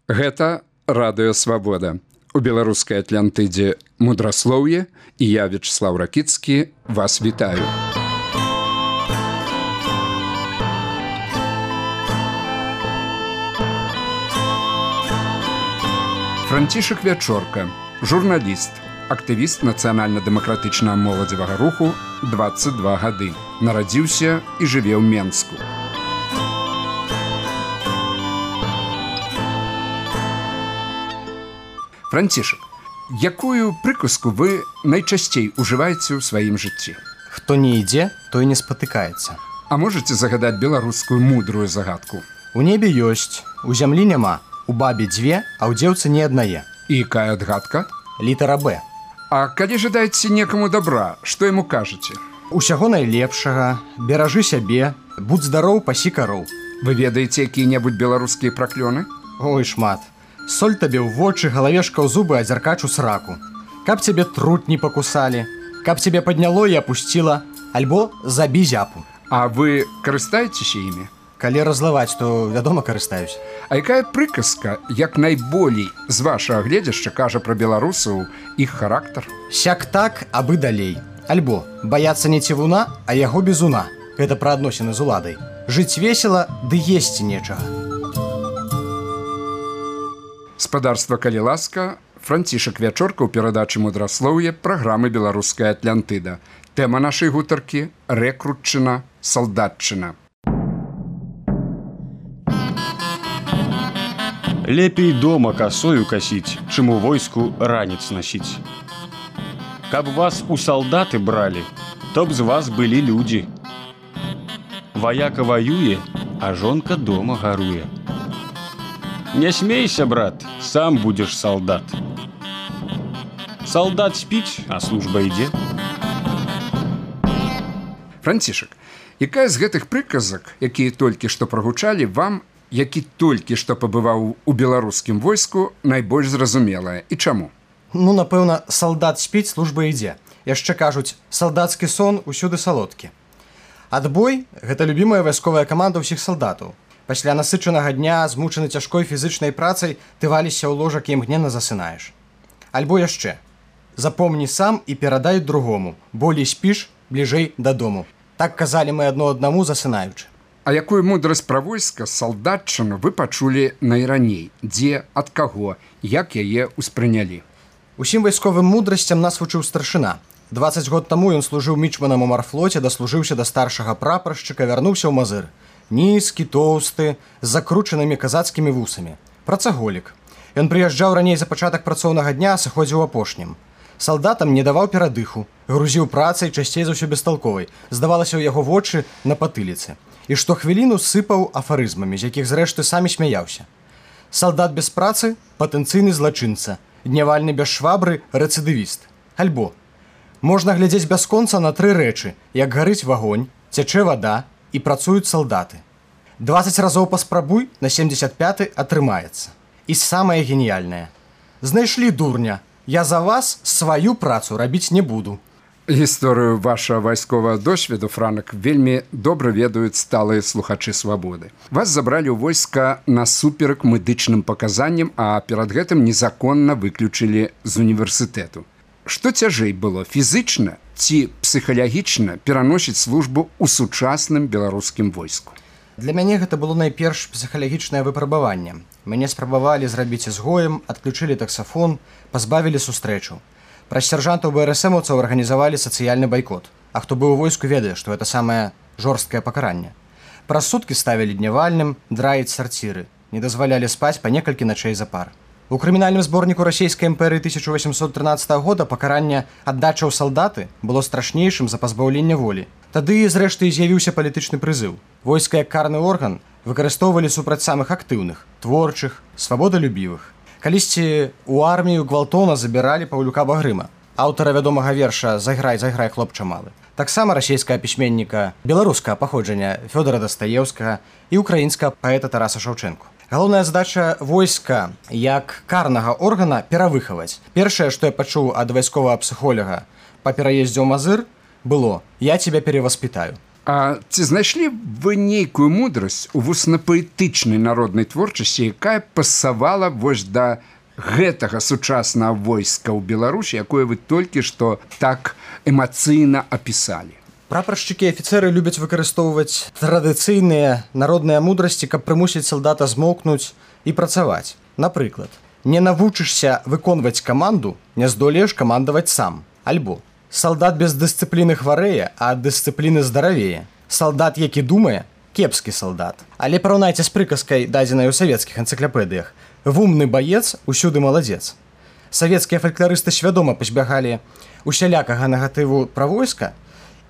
Гэта радыё Свабода. У беларускай Атлантыдзе мудраслоўе, і я, Вячеслав Ракіцкі, вас вітаю. Францішак Вячорка, журналіст, актывіст нацыянальна-дэмакратычнага моладзевага руху, 22 гады. Нарадзіўся і жыве ў Менску. Францішак, якую прыказку вы найчасцей ужываеце ў сваім жыцці? Хто не ідзе, той не спатыкаецца. А можаце загадаць беларускую мудрую загадку? У небе ёсць, у зямлі няма, у бабе дзве, а ў дзеўцы не аднае. І якая адгадка? Літара Б. А калі жадаеце некаму добра, што яму кажаце? Усяго найлепшага, беражы сябе, будь здароў, пасі кароў. Вы ведаеце якія-небудзь беларускія праклёны? Ой, шмат. Соль табе ў вочы, галавешка ў зубы, а дзяркач у сраку. Каб цябе трут не пакусалі, каб цябе падняло і апусціла, альбо забі зяпу. А вы карыстаецеся імі? Калі разлаваць, то, вядома, карыстаюсь. А якая прыказка, як найболей з вашага гледзяшча кажа пра беларусаў іх характар? Сяк так, абы далей. Альбо баяцца не цівуна, а яго бізуна. Гэта пра адносіны з уладай. Жыць весела, ды есці нечага. Спадарства, калі ласка, Францішак Вячорка ў перадачы мудраслоўе праграмы «Беларуская Атлантыда». Тэма нашай гутаркі – рэкрутчына, салдатчына. Лепей дома касою касіць, чым у войску ранец насіць. Каб вас у салдаты бралі, то б з вас былі людзі. Ваяка ваюе, а жонка дома гаруе. Не смейся, брат, сам будзеш салдат. Салдат спіць, а служба ідзе. Францішак, якая з гэтых прыказак, якія толькі што прагучалі, вам, які толькі што пабываў у беларускім войску, найбольш зразумелая? І чаму? Ну, напэўна, салдат спіць, служба ідзе. Яшчэ кажуць, салдацкі сон усюды салодкі. Адбой – гэта любімая вайсковая каманда ўсіх салдатаў. Пасля насычанага дня, змучаны цяжкой фізычнай працай, ты валішся ў ложак і імгненна засынаеш. Альбо яшчэ. Запомні сам і перадай другому. Болей спіш, бліжэй дадому. Так казалі мы адно аднаму, засынаючы. А якую мудрасць пра войска, салдатчыну вы пачулі найраней? Дзе, ад каго, як яе ўспрынялі? Усім вайсковым мудрасцям нас вучыў старшына. 20 год таму ён служыў мічманам у марфлоце, даслужыўся да старшага прапаршчыка, вярнуўся ў Мазыр. Нізкі, тоўсты, з закручанымі казацкімі вусамі. Працаголік. Ён прыязджаў раней за пачатак працоўнага дня, а сыходзіў апошнім. Салдатам не даваў перадыху, грузіў працай, часцей за ўсё бесталковай. Здавалася ў яго вочы на патыліцы. І штохвіліну сыпаў афарызмамі, з якіх зрэшты самі смяяўся. Салдат без працы – патэнцыйны злачынца. Днявальны без швабры – рэцыдывіст. Альбо можна глядзець бясконца на тры рэчы, як гарыць вагонь, цячэ вада і працуюць салдаты. 20 разоў паспрабуй, на 75-й атрымаецца. І самае геніяльнае. Знайшлі дурня, я за вас сваю працу рабіць не буду. Гісторыю вашага вайсковага досведу, Франак, вельмі добра ведаюць сталыя слухачы Свабоды. Вас забралі ў войска насуперак медычным паказанням, а перад гэтым незаконна выключылі з універсітэту. Што цяжэй было, фізычна ці псіхалагічна пераносіць службу ў сучасным беларускім войску? Для мяне гэта было найперш псіхалагічнае выпрабаванне. Мяне спрабавалі зрабіць ізгоем, адключылі таксафон, пазбавілі сустрэчу. Праз сяржантаў БРСМаўцаў арганізавалі сацыяльны байкот. А хто быў у войску, ведае, што гэта самае жорсткае пакаранне. Праз суткі ставілі днявальным, драіць сарціры. Не дазвалялі спаць па некалькі начэй запар. У крымінальным зборніку расійскай імперыі 1813 года пакаранне аддача ў салдаты было страшнейшым за пазбаўленне волі. Тады, зрэшты, з'явіўся палітычны прызыў. Войска як карны орган выкарыстоўвалі супраць самых актыўных, творчых, свабодалюбівых. Калісьці ў армію гвалтоўна забіралі Паўлюка Багрыма, аўтара вядомага верша «Зайграй, зайграй, хлопча малы». Таксама расійскага пісьменніка беларускага паходжання Фёдора Дастаеўскага і украінскага паэта Тараса Шаўчэнку. Галоўная задача войска як карнага органа перавыхаваць. Першае, што я пачуў ад вайсковага псіхолага па пераездзе ў Мазыр, было «Я тебя перевоспитаю». А ці знайшлі вы нейкую мудрасць у вуснапаэтычнай народнай творчасці, якая пасавала вось да гэтага сучаснага войска ў Беларусі, якое вы толькі што так эмацыйна апісалі? Прапаршчыкі і афіцэры любяць выкарыстоўваць традыцыйныя народныя мудрасці, каб прымусіць салдата змоўкнуць і працаваць. Напрыклад, не навучышся выконваць каманду, не здолееш камандаваць сам. Альбо салдат без дысцыпліны хварэе, а ад дысцыпліны здаравее. Салдат, які думае, кепскі салдат. Але параўнайце з прыказкай, дадзенай у савецкіх энцыклапедыях. Вумны баец, усюды маладзец. Савецкія фалькларысты свядома пазбягалі усялякага негатыву пра войска,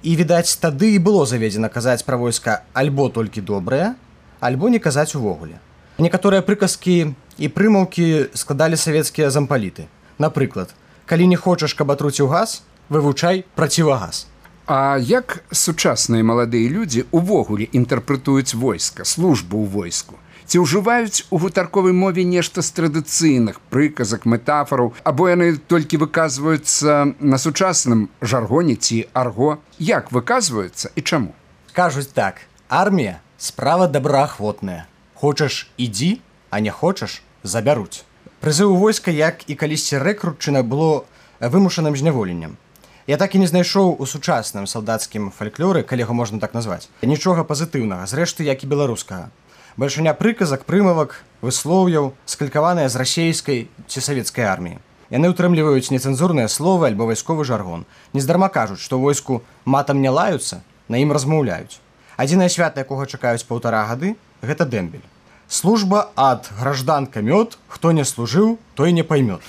і, відаць, тады і было заведзена казаць пра войска альбо толькі добрае, альбо не казаць увогуле. Некаторыя прыказкі і прымаўкі складалі савецкія зампаліты. Напрыклад, калі не хочаш, каб атруціў газ, вывучай процівагаз. А як сучасныя маладыя людзі увогуле інтэрпрэтуюць войска, службу ў войску? Ці ўжываюць у гутарковай мове нешта з традыцыйных прыказак, метафораў, або яны толькі выказваюцца на сучасным жаргоне ці арго? Як выказваюцца і чаму? Кажуць так: армія – справа добраахвотная. Хочаш – ідзі, а не хочаш – забяруць. Прызыў у войска, як і калісьці рэкрутчына, было вымушаным зняволеннем. Я так і не знайшоў у сучасным салдацкім фальклоры, калі яго можна так назваць, нічога пазітыўнага, зрэшты, як і беларускага. Бальшыня прыказак, прымавак, выслоўяў, скалькаваныя з расейскай ці савецкай арміі. Яны ўтрымліваюць нецэнзурныя словы альбо вайсковы жаргон. Нездарма кажуць, што войску матам не лаюцца, на ім размаўляюць. Адзінае свята, якога чакаюць 1,5 гады, гэта дэмбель. Служба ад гражданка мёд, хто не служыў, той не поймёт.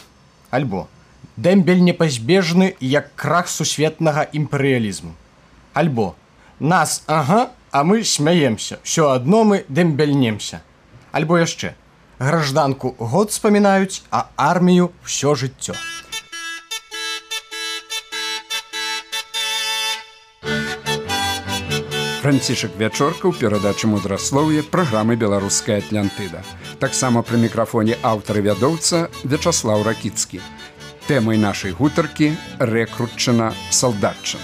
Альбо дэмбель непазбежны, як крах сусветнага імперыялізму. Альбо нас, ага, а мы смяемся, все адно мы дэмбельнемся. Альбо яшчэ гражданку год спамінаюць, а армію ўсё жыццё. Францішак Вячорка ў перадачы мудраслоўя праграмы «Беларуская Атлантыда». Таксама пры мікрафоне аўтар і вядоўца Вячаслаў Ракіцкі. Тэмай нашай гутаркі рэкрутчына, салдатчына.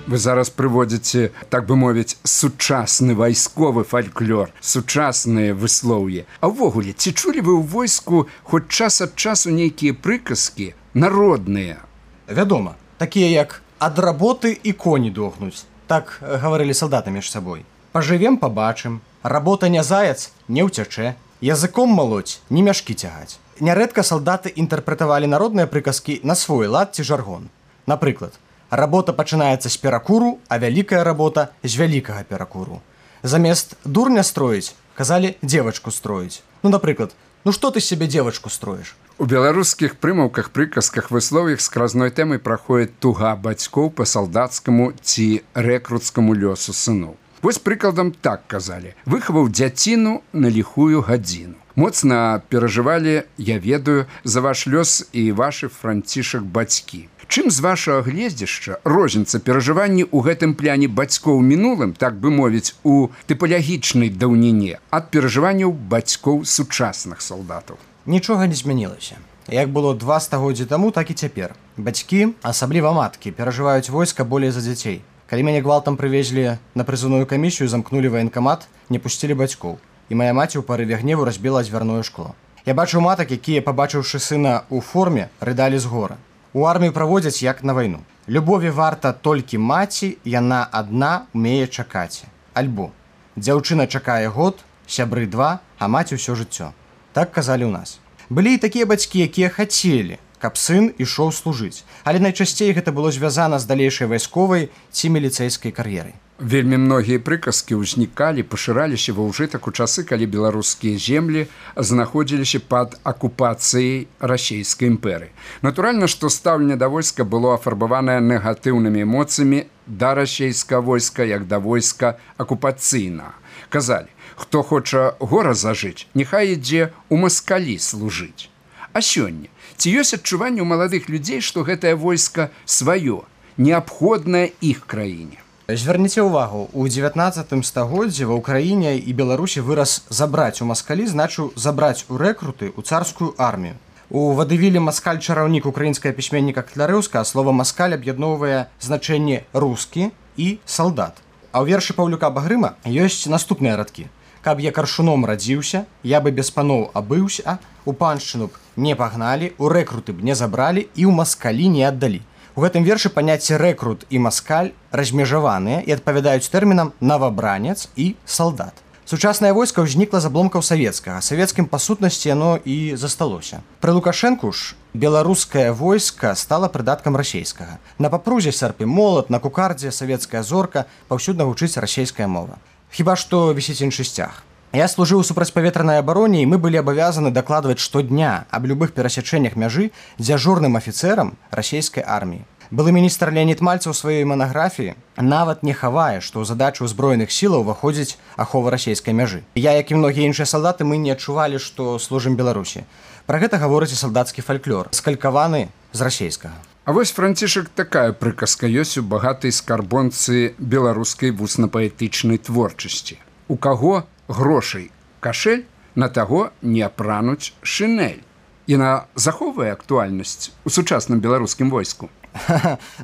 Вы зараз прыводзіце, так бы мовіць, сучасны вайсковы фальклор, сучасныя выслоўі. А ўвогуле, ці чулі вы ў войску хоць час ад часу нейкія прыказкі народныя? Вядома, такія як «ад работы і коні дохнуць». Так гаварылі салдаты між сабой. «Пажывем, пабачым», «работа не заяц, не ўцячэ», «языком малоць, не мяшкі цягаць». Нярэдка салдаты інтэрпрэтавалі народныя прыказкі на свой лад ці жаргон. Напрыклад, работа пачынаецца з перакуру, а вялікая работа з вялікага перакуру. Замест дурня строіць, казалі дзевачку строіць. Ну, напрыклад, ну што ты з сябе дзевачку строіш? У беларускіх прымаўках, прыказках, выслов'ях скразной тэмай праходзіць туга бацькоў па салдацкаму ці рэкруцкаму лёсу сыноў. Вось прыкладам так казалі: выхаваў дзяціну на ліхую гадзіну. Моцна перажывалі, я ведаю, за ваш лёс і вашы, Францішак, бацькі. Чым з вашага гледзяшча розніца перажыванні ў гэтым пляне бацькоў мінулым, так бы мовіць, у тыпалагічнай даўніне ад перажыванняў бацькоў сучасных салдатаў? Нічога не змянілася. Як было 2 стагоддзі таму, так і цяпер. Бацькі, асабліва маткі, перажываюць войска болей за дзяцей. Калі мяне гвалтам прывезлі на прызыўную камісію, замкнулі ваенкамат, не пусцілі бацькоў. І мая маці ў парыве гневу разбіла дзвярное шкло. Я бачыў матак, якія, пабачыўшы сына ў форме, рыдалі з гора. У армію праводзяць як на вайну. Любові варта толькі маці, яна адна умее чакаць. Альбо дзяўчына чакае год, сябры 2, а маці ўсё жыццё. Так казалі ў нас. Былі і такія бацькі, якія хацелі, каб сын ішоў служыць. Але найчасцей гэта было звязана з далейшай вайсковай ці міліцэйскай кар'ерай. Вельмі многія прыказкі ўзнікалі, пашыраліся ва ўжытак у часы, калі беларускія землі знаходзіліся пад акупацыяй расійскай імперыі. Натуральна, што стаўленне да войска было афарбаванае негатыўнымі эмоцыямі да расійскага войска, як да войска акупацыйнага. Казалі: хто хоча гора зажыць, няхай ідзе ў маскалі служыць. А сёння ці ёсць адчуванне ў маладых людзей, што гэтае войска сваё, неабходнае іх краіне? Звярніце ўвагу, у 19 стагоддзі ва ўкраіне і Беларусі выраз «забраць у маскалі» значыў забраць у рэкруты ў царскую армію. У вадывілі маскаль-чараўнік украінскага пісьменніка Катлярыўска слова маскаль аб'ядноўвае значэнні рускі і салдат. А ў вершы Паўлюка Багрыма ёсць наступныя радкі. Каб я каршуном радзіўся, я бы без паноў абыўся, у паншчыну б не пагналі, у рэкруты б не забралі і ў маскалі не аддалі. У гэтым вершы паняцці рэкрут і маскаль размежаваныя і адпавядаюць тэрмінам навабранец і салдат. Сучаснае войска ўзнікла з абломкаў савецкага. Савецкім па сутнасці яно і засталося. Пры Лукашэнку ж беларускае войска стала прыдаткам расейскага. На папрузе сярпы молат, на кукардзе савецкая зорка, паўсюдна гучыць расейская мова. Хіба што вісіць іншы сцяг. Я служыў у супрацьпаветранай абароне, і мы былі абавязаны дакладваць штодня аб любых перасячэннях мяжы дзяжурным афіцэрам расейскай арміі. Былы міністр Леонід Мальцаў у сваёй манаграфіі нават не хавае, што ў задачу ўзброеных сілаў уваходзіць ахова расейскай мяжы. Я, як і многія іншыя салдаты, мы не адчувалі, што служым Беларусі. Пра гэта гаворыць і салдацкі фальклор, скалькаваны з расейскага. А вось, Францішак, такая прыказка ёсць у багатай скарбонцы беларускай вусна-паэтычнай творчасці. У каго грошай кашель, на таго не апрануць шынель. Яна захоўвае актуальнасць у сучасным беларускім войску.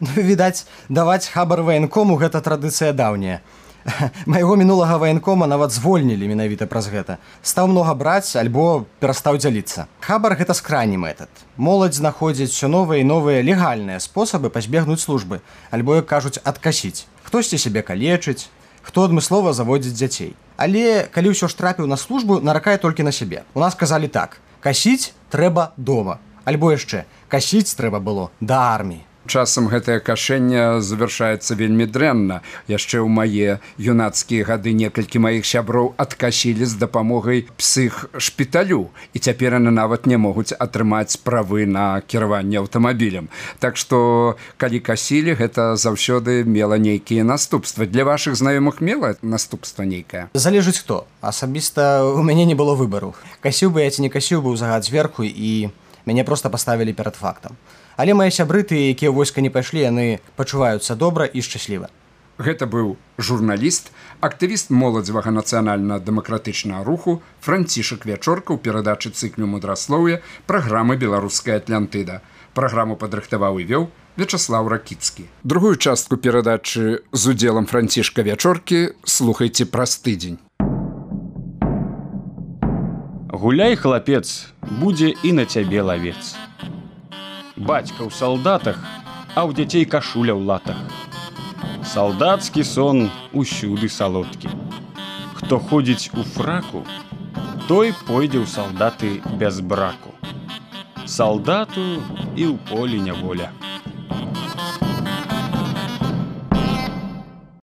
Ну, відаць, даваць хабар ваенкому – гэта традыцыя даўняя. Майго мінулага ваенкома нават звольнілі менавіта праз гэта. Стаў многа браць, альбо перастаў дзяліцца. Хабар – гэта скрайні метад. Моладзь знаходзіць усё новыя і новыя легальныя спосабы пазбегнуць службы, альбо, як кажуць, адкасіць. Хтосьці сябе калечыць, хто адмыслова заводзіць дзяцей. Але, калі ўсё ж трапіў на службу, наракае толькі на сябе. У нас казалі так: касіць трэба дома. Альбо яшчэ, касіць трэба было да арміі. Часам гэтае кашэнне завяршаецца вельмі дрэнна. Яшчэ ў мае юнацкія гады некалькі маіх сяброў адкасілі з дапамогай псіхшпіталю, і цяпер яны нават не могуць атрымаць правы на кіраванне аўтамабілем. Так што, калі касілі, гэта заўсёды мела нейкія наступствы. Для вашых знаёмых мела наступства нейкае? Залежыць хто. Асабіста у мяне не было выбару. Касіў бы я ці не касіў бы ў загад зверху, і мяне проста паставілі перад фактам. Але мае сябры, тыя, якія ў войска не пайшлі, яны пачуваюцца добра і шчасліва. Гэта быў журналіст, актывіст моладзевага нацыянальна-дэмакратычнага руху Францішак Вячорка ў перадачы цыклю мудраслоўя праграмы «Беларуская Атлантыда». Праграму падрыхтаваў і вёў Вячаслаў Ракіцкі. Другую частку перадачы з удзелам Францішка Вячоркі слухайце праз тыдзень. Гуляй, хлапец, будзе і на цябе лавец. Бацька ў салдатах, а ў дзяцей кашуля ў латах. Салдацкі сон усюды салодкі. Хто ходзіць у фраку, той пойдзе ў салдаты без браку. Салдату і ў полі няволя.